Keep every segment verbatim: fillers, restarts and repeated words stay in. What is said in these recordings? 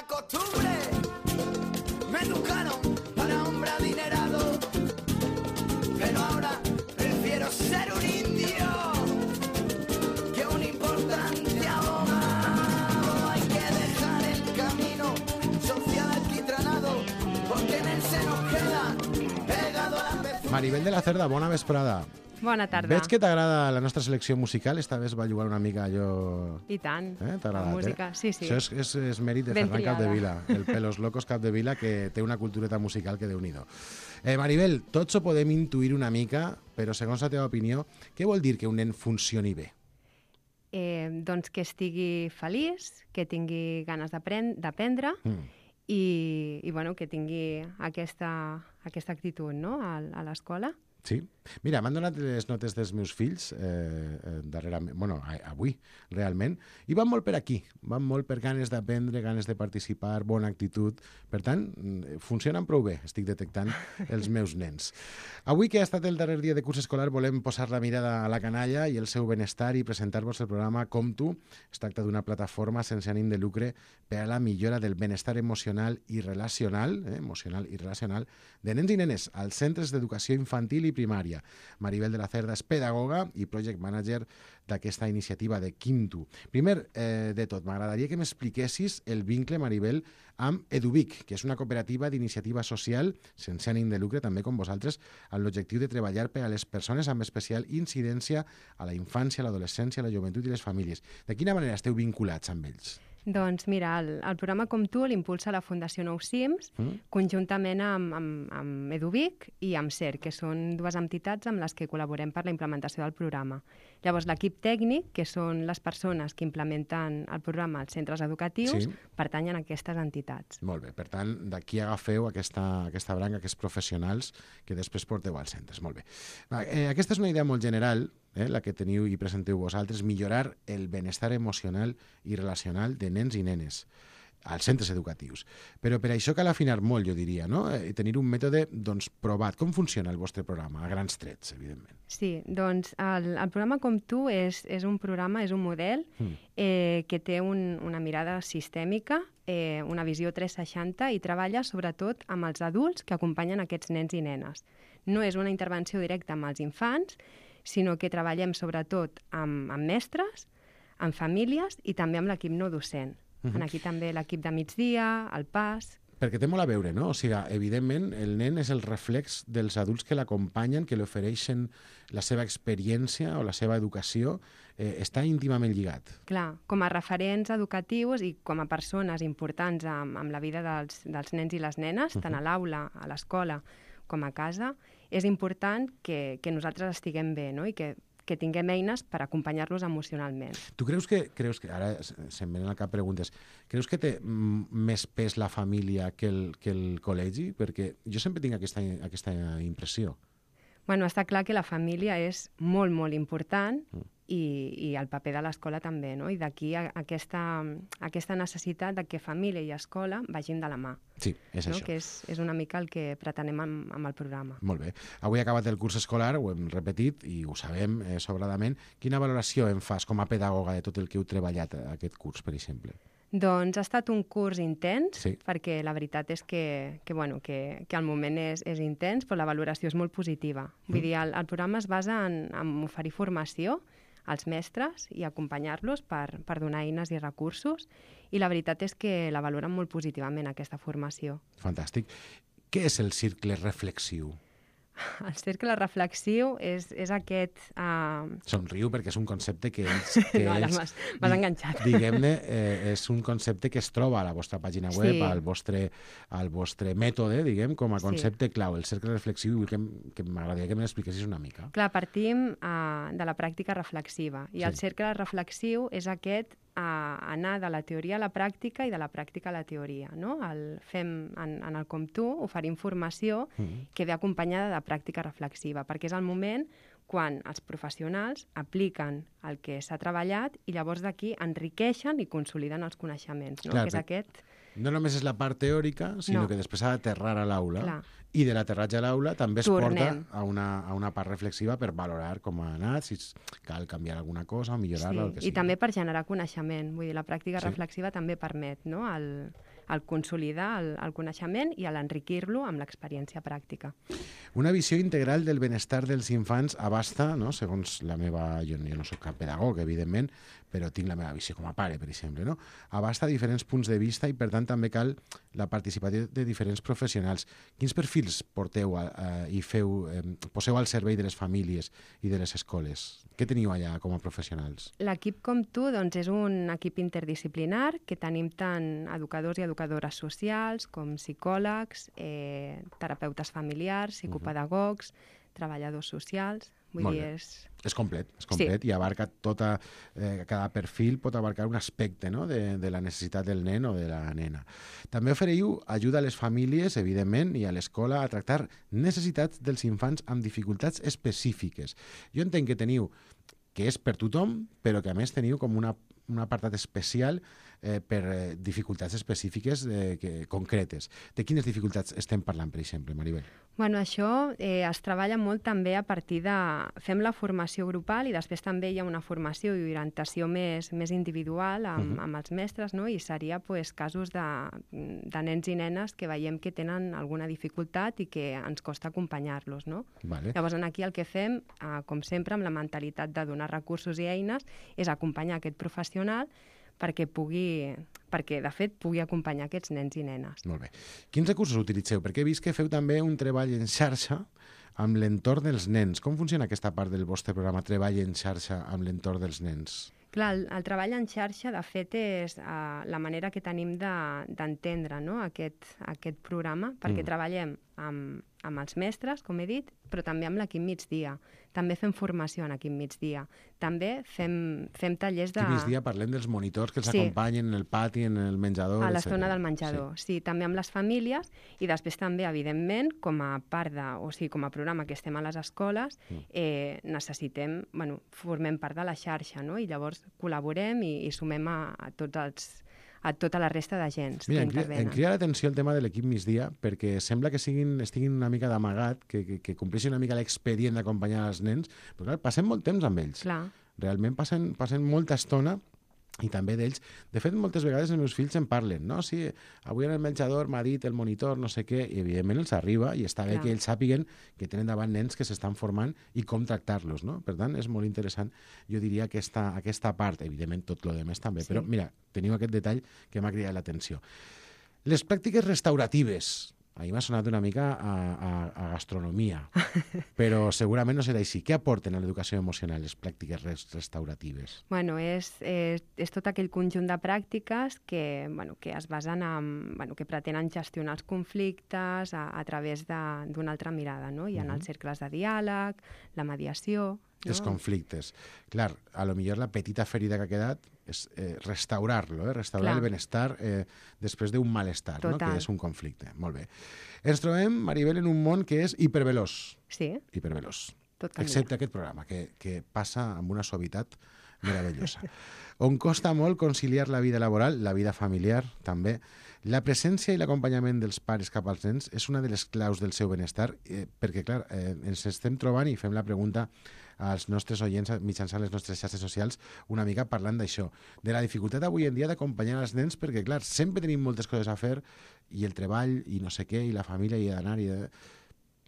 costumbre. Me educaron para hombre adinerado, pero ahora prefiero ser un indio que un importante abogado. Hay que dejar el camino social alquitranado, porque en él se nos queda pegado a la pez. Maribel de la Cerda, bona vesprada. Bona tarda. Veig que t'agrada la nostra selecció musical. Esta vegada va jugar una mica allò... I tant, Eh? T'ha la agradat, música, eh? sí, sí. Això és, és, és mèrit de Ben Ferran triada. Capdevila, el Pelos Locos Capdevila, que té una cultureta musical que déu-n'hi-do. Eh, Maribel, tots ho podem intuir una mica, però segons la teva opinió, què vol dir que un nen funcioni bé? Eh, doncs que estigui feliç, que tingui ganes d'apren- d'aprendre Mm. i, i bueno, que tingui aquesta, aquesta actitud, no?, a, a l'escola. Sí? Mira, m'han donat les notes dels meus fills eh, eh, darrerament, bueno, a- avui, realment, i van molt per aquí, van molt per ganes d'aprendre, ganes de participar, bona actitud. Per tant, mm, funcionen prou bé, estic detectant els meus nens. Avui, que ha estat el darrer dia de curs escolar, volem posar la mirada a la canalla i el seu benestar i presentar-vos el programa Com Tu. Es tracta d'una plataforma sense ànim de lucre per a la millora del benestar emocional i relacional, eh, emocional i relacional, de nens i nenes als centres d'educació infantil i primària. Maribel de la Cerda és pedagoga i project manager d'aquesta iniciativa de Quintu. Primer eh, de tot, m'agradaria que m'expliquessis el vincle, Maribel, amb Eduvic, que és una cooperativa d'iniciativa social sense ànim de lucre, també com vosaltres, amb l'objectiu de treballar per a les persones amb especial incidència a la infància, l'adolescència, la joventut i les famílies. De quina manera esteu vinculats amb ells? Doncs mira, el, el programa Com Tu l'impulsa la Fundació Nou Cims, Mm. conjuntament amb, amb, amb Eduvic i amb C E R, que són dues entitats amb les que col·laborem per la implementació del programa. Llavors, l'equip tècnic, que són les persones que implementen el programa als centres educatius, Sí. pertanyen a aquestes entitats. Molt bé, per tant, d'aquí agafeu aquesta, aquesta branca, aquests professionals que després porteu als centres. Molt bé. Va, eh, aquesta és una idea molt general, eh, la que teniu i presenteu vosaltres, millorar el benestar emocional i relacional de nens i nenes als centres educatius. Però per això cal afinar molt, jo diria, no? Eh, tenir un mètode doncs, provat. Com funciona el vostre programa? A grans trets, evidentment. Sí, doncs el, el programa Com Tu és, és un programa, és un model Mm. eh, que té un, una mirada sistèmica, eh, una visió tres seixanta i treballa sobretot amb els adults que acompanyen aquests nens i nenes. No és una intervenció directa amb els infants, sinó que treballem sobretot amb, amb mestres, amb famílies i també amb l'equip no docent. Mhm. En aquí també l'equip de migdia, el P A S... Perquè té molt a veure, no? O sigui, evidentment, el nen és el reflex dels adults que l'acompanyen, que li ofereixen la seva experiència o la seva educació. Eh, està íntimament lligat. Clar, com a referents educatius i com a persones importants amb, amb la vida dels, dels nens i les nenes, uh -huh. tant a l'aula, a l'escola com a casa, és important que, que nosaltres estiguem bé, no?, i que que tinguem eines per acompanyar-los emocionalment. Tu creus que, creus que ara se'm venen al cap preguntes, creus que té mm, més pes la família que el, que el col·legi? Perquè jo sempre tinc aquesta, aquesta impressió. Bueno, està clar que la família és molt, molt important i, i el paper de l'escola també, no? I d'aquí a- aquesta, aquesta necessitat de que família i escola vagin de la mà. Sí, és No? això. Que és, és una mica el que pretenem amb, amb el programa. Molt bé. Avui ha acabat el curs escolar, ho hem repetit i ho sabem eh, sobradament. Quina valoració en fas com a pedagoga de tot el que heu treballat eh, aquest curs, per exemple? Doncs ha estat un curs intens, Sí. perquè la veritat és que, que, bueno, que, que el moment és, és intens, però la valoració és molt positiva. Vull Mm. dir, el, el programa es basa en, en oferir formació als mestres i acompanyar-los per, per donar eines i recursos, i la veritat és que la valoren molt positivament, aquesta formació. Fantàstic. Què és el cercle reflexiu? El cercle reflexiu és, és aquest... Uh... Somriu perquè és un concepte que ells... Que No, ara ells m'has- m'has di- enganxat. Diguem-ne, eh, és un concepte que es troba a la vostra pàgina web, Sí. al, vostre, al vostre mètode, diguem, com a Sí. concepte clau, el cercle reflexiu, i vull que, m- que m'agradaria que me l'expliquessis una mica. Clar, partim uh, de la pràctica reflexiva, i Sí. el cercle reflexiu és aquest a anar de la teoria a la pràctica i de la pràctica a la teoria. No? El fem en, en el Com Tu, oferim formació Mm. que ve acompanyada de pràctica reflexiva, perquè és el moment quan els professionals apliquen el que s'ha treballat i llavors d'aquí enriqueixen i consoliden els coneixements, no? Clar, que és per- aquest... No només és la part teòrica, sinó No. que després ha d'aterrar a l'aula, Clar. i de l'aterratge a l'aula també es Tornem. porta a una, a una part reflexiva per valorar com ha anat, si es- cal canviar alguna cosa o millorar-la, o el que Sí, i sigui. també per generar coneixement. Vull dir, la pràctica Sí. reflexiva també permet, no?, el, al consolidar el, el coneixement i a l'enriquir-lo amb l'experiència pràctica. Una visió integral del benestar dels infants abasta, no? Segons la meva... Jo, jo no soc cap pedagog, evidentment, però tinc la meva visió com a pare, per exemple, no? Abasta diferents punts de vista i, per tant, també cal la participació de diferents professionals. Quins perfils porteu a, a, i feu, eh, poseu al servei de les famílies i de les escoles? Què teniu allà com a professionals? L'equip com tu doncs, és un equip interdisciplinar que tenim tant educadors i educadores socials com psicòlegs, eh, terapeutes familiars, psicopedagogs, uh-huh. treballadors socials... Vull Molt dir, bé. és... És complet, és complet Sí. i abarca tota, eh, cada perfil pot abarcar un aspecte, no? de, de la necessitat del nen o de la nena. També ofereiu ajuda a les famílies, evidentment, i a l'escola a tractar necessitats dels infants amb dificultats específiques. Jo entenc que teniu, que és per tothom, però que a més teniu com una, un apartat especial eh, per eh, dificultats específiques eh, que, concretes. De quines dificultats estem parlant, per exemple, Maribel? Bueno, això eh, es treballa molt també a partir de... Fem la formació grupal i després també hi ha una formació i orientació més, més individual amb, uh-huh. amb els mestres, no? I seria pues, casos de, de nens i nenes que veiem que tenen alguna dificultat i que ens costa acompanyar-los, no? Vale. Llavors, aquí el que fem, eh, com sempre, amb la mentalitat de donar recursos i eines, és acompanyar aquest professional perquè pugui, perquè de fet pugui acompanyar aquests nens i nenes. Molt bé. Quins recursos utilitzeu? Perquè he vist que feu també un treball en xarxa amb l'entorn dels nens. Com funciona aquesta part del vostre programa, treball en xarxa amb l'entorn dels nens? Clar, el, el treball en xarxa, de fet, és uh, la manera que tenim d'entendre de, no? aquest, aquest programa, perquè mm. treballem amb, amb els mestres, com he dit, però també amb l'equip migdia. També fem formació en equip migdia. També fem, fem tallers de... Equip migdia parlem dels monitors que els sí. acompanyen en el pati, en el menjador... A l'estona del menjador, sí. sí. També amb les famílies i després també, evidentment, com a part de... O sigui, com a programa que estem a les escoles, mm. eh, necessitem... Bueno, formem part de la xarxa, no? I llavors col·laborem i, i sumem a, a tots els... a tota la resta d'agents que intervenen. Em crida l'atenció el tema de l'equip migdia perquè sembla que siguin, estiguin una mica d'amagat, que, que, que compleixin una mica l'expedient d'acompanyar els nens, però clar, passem molt temps amb ells. Clar. Realment passen, passen molta estona i també d'ells. De fet, moltes vegades els meus fills en parlen, no? Sí, avui en el menjador m'ha dit el monitor, no sé què, i evidentment els arriba i està bé Clar. que ells sàpiguen que tenen davant nens que s'estan formant i com tractar-los, no? Per tant, és molt interessant, jo diria, aquesta, aquesta part, evidentment tot el demés també, sí. Però mira, teniu aquest detall que m'ha cridat l'atenció. Les pràctiques restauratives, a mi m'ha sonat una mica a, a, a gastronomia, però segurament no serà així. Què aporten a l'educació emocional les pràctiques restauratives? Bueno, és, és, és tot aquell conjunt de pràctiques que, bueno, que es basen en... Bueno, que pretenen gestionar els conflictes a, a través d'una altra mirada, no? Hi ha uh-huh. els cercles de diàleg, la mediació... No? Els conflictes. Clar, a lo millor la petita ferida que ha quedat és eh, restaurar-lo, eh? restaurar Clar. el benestar eh, després d'un malestar, no? Que és un conflicte. Molt bé. Ens trobem, Maribel, en un món que és hiperveloç. Sí. Hiperveloç. Tot excepte aquest programa, que, que passa amb una suavitat meravellosa. On costa molt conciliar la vida laboral, la vida familiar, també. La presència i l'acompanyament dels pares cap als nens és una de les claus del seu benestar, eh, perquè, clar, eh, ens estem trobant i fem la pregunta als nostres oients mitjançant les nostres xarxes socials una mica parlant d'això, de la dificultat avui en dia d'acompanyar els nens, perquè, clar, sempre tenim moltes coses a fer i el treball i no sé què, i la família i d'anar i de...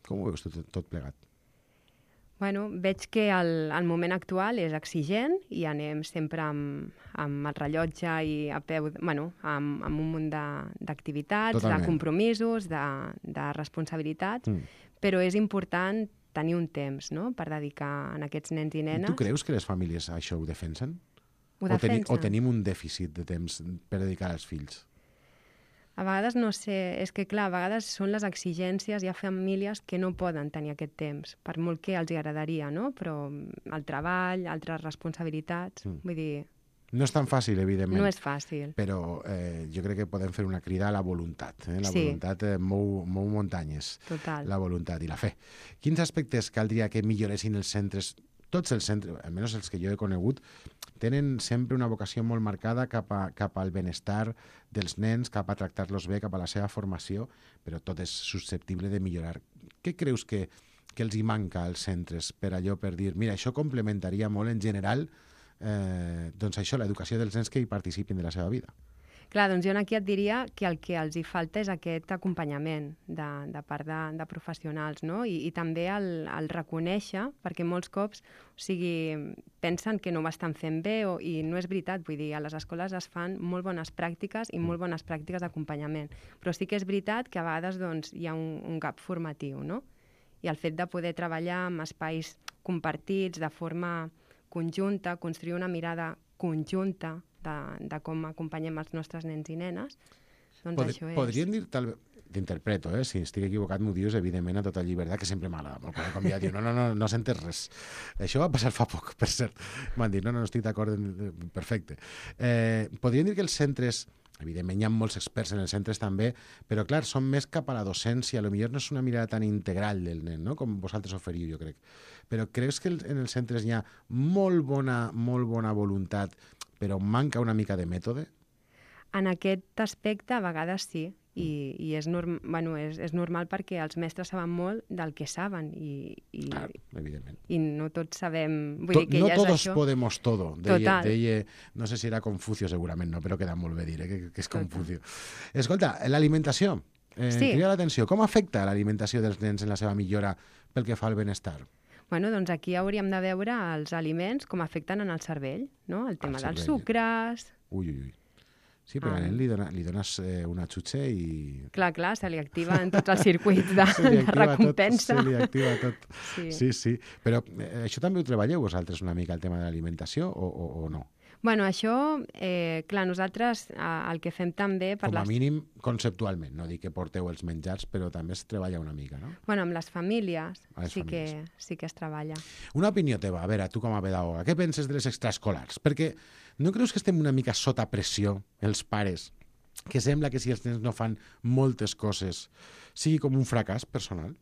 Com ho veus tot, tot plegat? Bueno, veig que el, el moment actual és exigent i anem sempre amb, amb el rellotge i a peu, bueno, amb, amb un munt d'activitats, de, de compromisos, de, de responsabilitats, mm. però és important tenir un temps, no?, per dedicar a aquests nens i nenes. I tu creus que les famílies això ho defensen? Ho defensen. O, teni, o tenim un dèficit de temps per dedicar als fills? A vegades, no sé, és que clar, a vegades són les exigències, hi ha famílies que no poden tenir aquest temps, per molt que els agradaria, no? Però el treball, altres responsabilitats, mm. vull dir... No és tan fàcil, evidentment. No és fàcil. Però eh, jo crec que podem fer una crida a la voluntat. Eh? La sí. voluntat eh, mou, mou muntanyes. Total. La voluntat i la fe. Quins aspectes caldria que milloressin els centres? Tots els centres, almenys els que jo he conegut, tenen sempre una vocació molt marcada cap, a, cap al benestar dels nens, cap a tractar-los bé, cap a la seva formació, però tot és susceptible de millorar. Què creus que, que els hi manca als centres per allò, per dir, mira, això complementaria molt en general eh, doncs això, l'educació dels nens que hi participin de la seva vida? Clar, doncs jo aquí et diria que el que els hi falta és aquest acompanyament de, de part de, de professionals, no? I, i també el, el reconèixer, perquè molts cops, o sigui, pensen que no ho estan fent bé o, i no és veritat, vull dir, a les escoles es fan molt bones pràctiques i molt bones pràctiques d'acompanyament, però sí que és veritat que a vegades doncs, hi ha un, un gap formatiu, no? I el fet de poder treballar amb espais compartits de forma conjunta, construir una mirada conjunta de, de com acompanyem els nostres nens i nenes, doncs Pod això és... Podríem dir, tal t'interpreto, eh? Si estic equivocat m'ho dius, evidentment, a tota llibertat, que sempre m'agrada molt, quan convidat diu, no, no, no, no sentes res. Això va passar fa poc, per cert. M'han dit, no, no, no estic d'acord, perfecte. Eh, podríem dir que els centres, evidentment hi ha molts experts en els centres també, però clar, són més cap a la docència, potser no és una mirada tan integral del nen, no? Com vosaltres oferiu, jo crec. Però creus que en els centres hi ha molt bona, molt bona voluntat, però manca una mica de mètode? En aquest aspecte, a vegades sí, i, i és, norm bueno, és, és normal perquè els mestres saben molt del que saben i, i, Clar, evidentment. i no tots sabem... Vull To dir que no ja és todos això. podemos todo, deia, Total. deia, no sé si era Confucio segurament, no, però queda molt bé dir eh, que, que és Confucio. Escolta, l'alimentació, eh, Sí. crida l'atenció, com afecta l'alimentació dels nens en la seva millora pel que fa al benestar? Bueno, doncs aquí hauríem de veure els aliments com afecten en el cervell, no? El tema dels cervell. sucres... Ui, ui, ui. Sí, perquè Ah. al nen li, dona, li dones eh, una xutxa i... Clar, clar, se li activen tots els circuits de, Se li de activa recompensa. tot, se li activa tot. Sí. Sí, sí. Però eh, això també ho treballeu vosaltres una mica, el tema de l'alimentació, o, o, o no? Bueno, això, eh, clar, nosaltres eh, el que fem també... Per Com a les... mínim conceptualment, no dic que porteu els menjars, però també es treballa una mica, no? Bueno, amb les famílies, A les sí, famílies. Que, sí que es treballa. Una opinió teva, a veure, tu com a pedagoga, què penses de les extraescolars? Perquè no creus que estem una mica sota pressió, els pares, que sembla que si els nens no fan moltes coses sigui com un fracàs personal?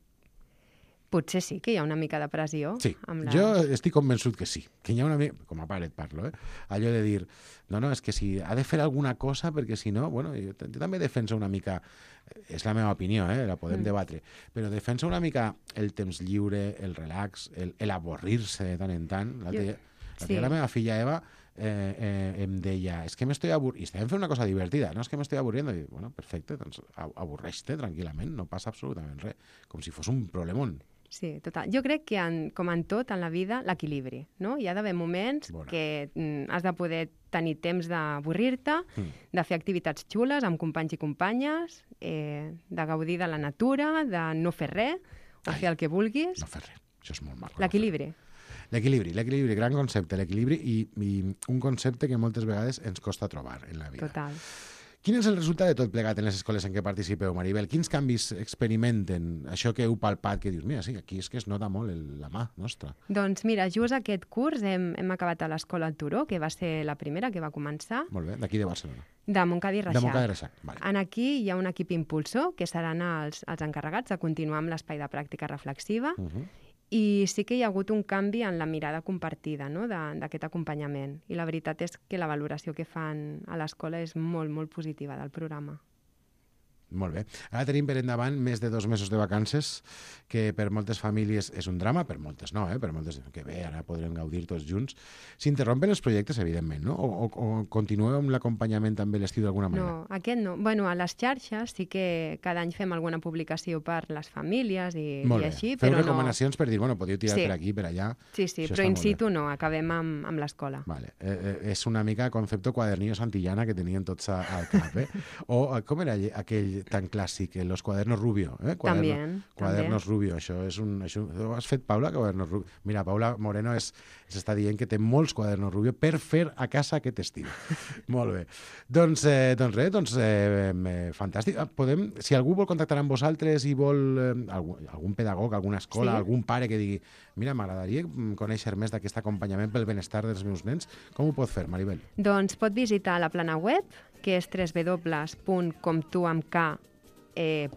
Potser sí que hi ha una mica de pressió. Sí, amb la... jo estic convençut que sí, que hi ha una mica, com a pare et parlo, eh? Allò de dir, no, no, és que si ha de fer alguna cosa, perquè si no, bueno, jo, jo també defenso una mica, és la meva opinió, eh? La podem mm. debatre, però defenso una mica el temps lliure, el relax, el, el avorrir-se de tant en tant. L'altre Jo- dia, l'altre sí. dia la meva filla Eva eh, eh, em deia, és que m'estoy avorrint, i estàvem fent una cosa divertida, no, és que m'estoy avorriendo, i bueno, perfecte, doncs avorreix-te tranquil·lament, no passa absolutament res, com si fos un problemón. Sí, total. Jo crec que, en, com en tot, en la vida, l'equilibri, no? Hi ha d'haver moments Bona. que mm, has de poder tenir temps d'avorrir-te, Mm. de fer activitats xules amb companys i companyes, eh, de gaudir de la natura, de no fer res, o Ai, fer el que vulguis. No fer res, això és molt maco. L'equilibri. L'equilibri, l'equilibri, gran concepte, l'equilibri i, i un concepte que moltes vegades ens costa trobar en la vida. Total. Quin és el resultat de tot plegat en les escoles en què participeu, Maribel? Quins canvis experimenten? Això que heu palpat, que dius, mira, sí, aquí és que es nota molt el, la mà nostra. Doncs mira, just aquest curs hem, hem acabat a l'Escola Turó, que va ser la primera que va començar, Molt bé, d'aquí de Barcelona. de Montcada i Reixac. De Montcada i Reixac, vale. En aquí hi ha un equip impulsor, que seran els, els encarregats de continuar amb l'espai de pràctica reflexiva, Uh -huh. i sí que hi ha hagut un canvi en la mirada compartida, no?, de- d'aquest acompanyament. I la veritat és que la valoració que fan a l'escola és molt, molt positiva del programa. Molt bé. Ara tenim per endavant més de dos mesos de vacances, que per moltes famílies és un drama, per moltes no, eh? Per moltes que bé, ara podrem gaudir tots junts. S'interrompen els projectes, evidentment, no? O, o, o continueu amb l'acompanyament també l'estiu d'alguna manera? No, aquest no. Bueno, a les xarxes sí que cada any fem alguna publicació per les famílies i, Molt i bé. així, Feu però no... recomanacions per dir, bueno, podeu tirar Sí. per aquí, per allà. Sí, sí, Això però està in molt bé. situ no, acabem amb, amb l'escola. Vale. Eh, eh, és una mica concepte quadernillo santillana que tenien tots a, al cap, eh? O eh, com era lle- aquell tan clàssic, eh, los cuadernos rubio, eh? Cuaderno, També, Cuadernos també. rubio, això és un... Això, ho has fet, Paula, cuadernos rubio? Mira, Paula Moreno és, s'està dient que té molts quadernos rubio per fer a casa aquest estiu. Molt bé. Doncs, eh, doncs res, doncs, eh, eh, fantàstic. Ah, Podem, si algú vol contactar amb vosaltres i vol eh, algun, algun pedagog, alguna escola, Sí. algun pare que digui mira, m'agradaria mm, conèixer més d'aquest acompanyament pel benestar dels meus nens, com ho pot fer, Maribel? Doncs pot visitar la plana web, que és w w w punt com tu amb k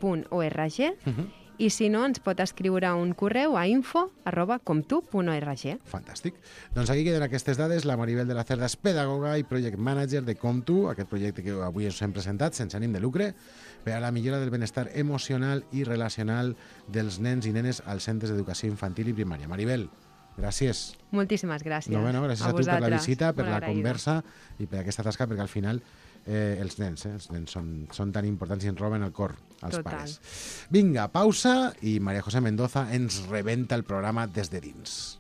punt org, Uh -huh. i si no, ens pot escriure un correu a info arroba comtu punt org. Fantàstic. Doncs aquí queden aquestes dades. La Maribel de la Cerda és pedagoga i project manager de Comtu, aquest projecte que avui us hem presentat sense ànim de lucre per a la millora del benestar emocional i relacional dels nens i nenes als centres d'educació infantil i primària. Maribel, gràcies. Moltíssimes gràcies. No, bueno, gràcies a, a tu per la vosaltres. visita, per Molt la agraïda. conversa i per aquesta tasca, perquè al final eh, els nens, eh? Els nens són, són tan importants i ens roben el cor als Total. pares. Vinga, pausa i María José Mendoza ens rebenta el programa des de dins.